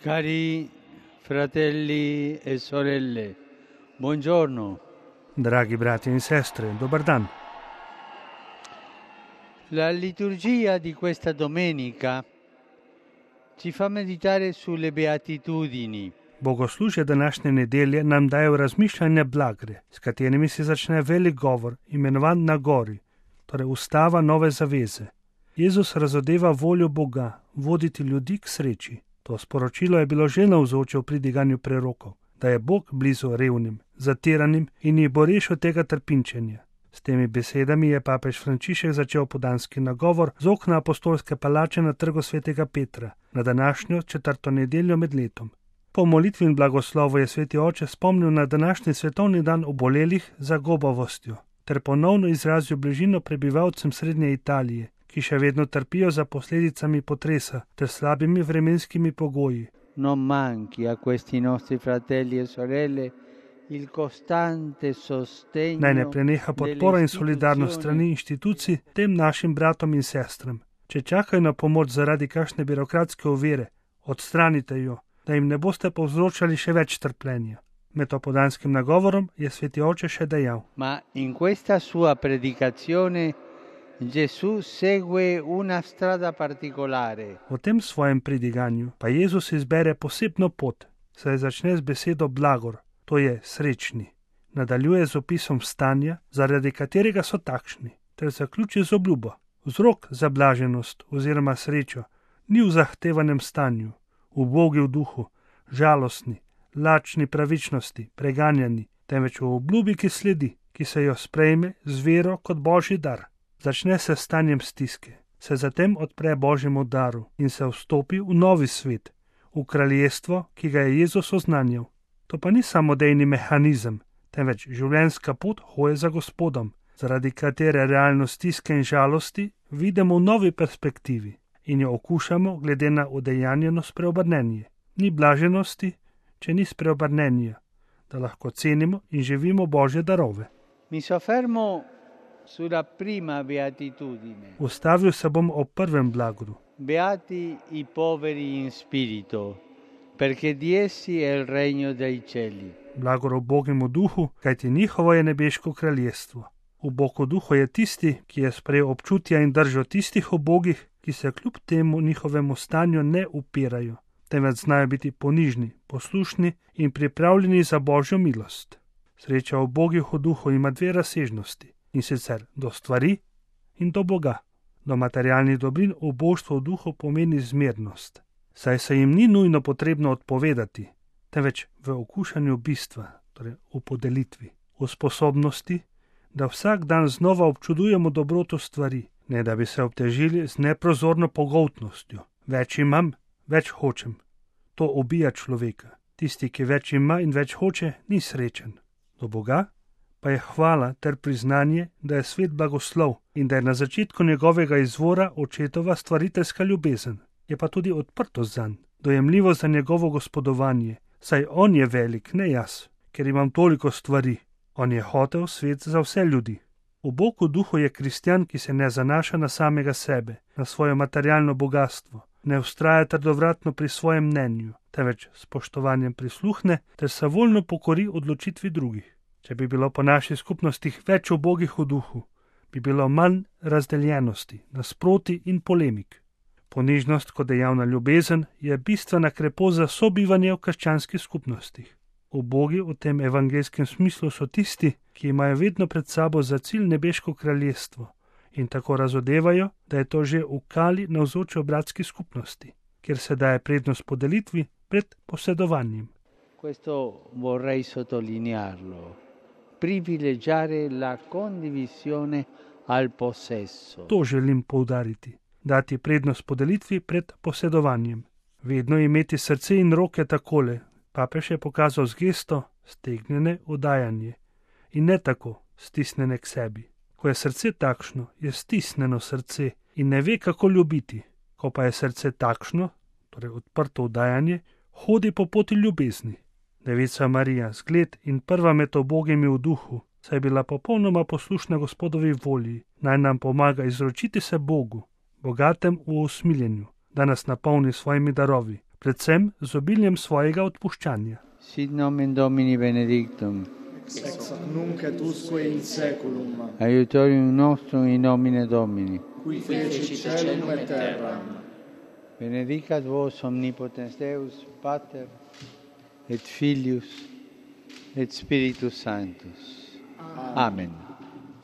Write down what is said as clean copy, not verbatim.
Cari fratelli e sorelle, buongiorno. Dragi brati in sestre, dobar dan. La liturgia di questa domenica ci fa meditare sulle beatitudini. Bogoslužje današnje nedelje nam daje v razmišljanje blagre, s katerimi se začne velik govor, imenovan na gori, torej ustava nove zaveze. Jezus razodeva voljo Boga, voditi ljudi k sreči. To sporočilo je bilo že navzoče v pridiganju prerokov, da je Bog blizu revnim, zatiranim in jih bo rešil tega trpinčenja. S temi besedami je papež Frančišek začel podanski nagovor z okna apostolske palače na trgu svetega Petra, na današnjo 4. nedeljo med letom. Po molitvi in blagoslovu je sveti oče spomnil na današnji svetovni dan obolelih za gobavostjo, ter ponovno izrazil bližino prebivalcem srednje Italije, ki še vedno trpijo za posledicami potresa ter slabimi vremenskimi pogoji. Non manchi a questi nostri fratelli e sorelle il costante sostegno. Naj ne preneha podpora in solidarnost strani inštitucij tem našim bratom in sestram. Če čakajo na pomoč zaradi kakšne birokratske ovire, odstranite jo, da jim ne boste povzročali še več trpljenja. Med opodanskim nagovorom je sveti oče še dejal: Ma in questa sua predicazione Gesù segue una strada particolare. V tem svojem pridiganju pa Jezus izbere posebno pot, saj začne z besedo blagor, to je srečni. Nadaljuje z opisom stanja, zaradi katerega so takšni, ter zaključi z obljubo. Vzrok za blaženost oziroma srečo ni v zahtevanem stanju, ubogi v duhu, žalostni, lačni pravičnosti, preganjani, temveč v obljubi, ki sledi, ki se jo sprejme z vero kot božji dar. Začne se stanjem stiske, se zatem odpre božjemu daru in se vstopi v novi svet, v kraljestvo, ki ga je Jezus oznanjal. To pa ni samodejni mehanizem, temveč življenjska pot hoje za Gospodom, zaradi katere realnost stiske in žalosti vidimo v novi perspektivi in jo okušamo glede na udejanjeno spreobrnenje. Ni blaženosti, če ni spreobrnenja, da lahko cenimo in živimo božje darove. Mi soffermo sulla prima beatitudine. Ustavil se bom o prvem blagru. Beati i poveri in spirito, perché di essi è il regno dei cieli. Blagor ubogim v duhu, kajti njihovo je nebeško kraljestvo. Ubog v duhu je tisti, ki je sprejel občutja in držo tistih ubogih, ki se kljub temu njihovemu stanju ne upirajo, temveč znajo biti ponižni, poslušni in pripravljeni za božjo milost. Sreča ubogih v duhu ima dve razsežnosti, in sicer do stvari in do Boga. Do materialnih dobrin uboštvo v duhu pomeni zmernost, saj se jim ni nujno potrebno odpovedati, temveč v okušanju bistva, torej v podelitvi, v sposobnosti, da vsak dan znova občudujemo dobroto stvari, ne da bi se obtežili z neprozorno pogoltnostjo. Več imam, več hočem. To ubija človeka. Tisti, ki več ima in več hoče, ni srečen. Do Boga pa je hvala ter priznanje, da je svet blagoslov in da je na začetku njegovega izvora očetova stvariteljska ljubezen. Je pa tudi odprtost zanj, dojemljivo za njegovo gospodovanje, saj on je velik, ne jaz, ker imam toliko stvari. On je hotel svet za vse ljudi. V Bogu duhu je kristjan, ki se ne zanaša na samega sebe, na svoje materialno bogatstvo, ne vztraja trdovratno pri svojem mnenju, temveč spoštovanjem prisluhne ter se voljno pokori odločitvi drugih. Če bi bilo po naših skupnostih več ubogih v duhu, bi bilo manj razdeljenosti, nasproti in polemik. Ponižnost kot dejavna ljubezen je bistvena krepost za sobivanje v krščanskih skupnostih. Ubogi v tem evangelskem smislu so tisti, ki imajo vedno pred sabo za cilj nebeško kraljestvo in tako razodevajo, da je to že v kali navzoče v bratski skupnosti, kjer se daje prednost podelitvi pred posedovanjem. Questo vorrei sottolinearlo. Privilegiare la condivisione al possesso. To želim poudariti, dati prednost podelitvi pred posedovanjem. Vedno imeti srce in roke takole. Papež je pokazal z gesto stegnjene udajanje in ne tako stisnjene k sebi. Ko je srce takšno, je stisnjeno srce in ne ve, kako ljubiti. Ko pa je srce takšno, torej odprto udajanje, hodi po poti ljubezni. Devica Marija, zgled in prva med ubogimi v duhu, saj je bila popolnoma poslušna Gospodovi volji, naj nam pomaga izročiti se Bogu, bogatem v usmiljenju, da nas napolni svojimi darovi, predvsem z obiljem svojega odpuščanja. Sit nomen Domini benedictum, Ex nunc et usque in seculum, aiutorium nostrum in nomine Domini. qui feci caelum et terram. Benedicat vos omnipotens Deus, Pater, et Filius, et Spiritus Sanctus. Amen.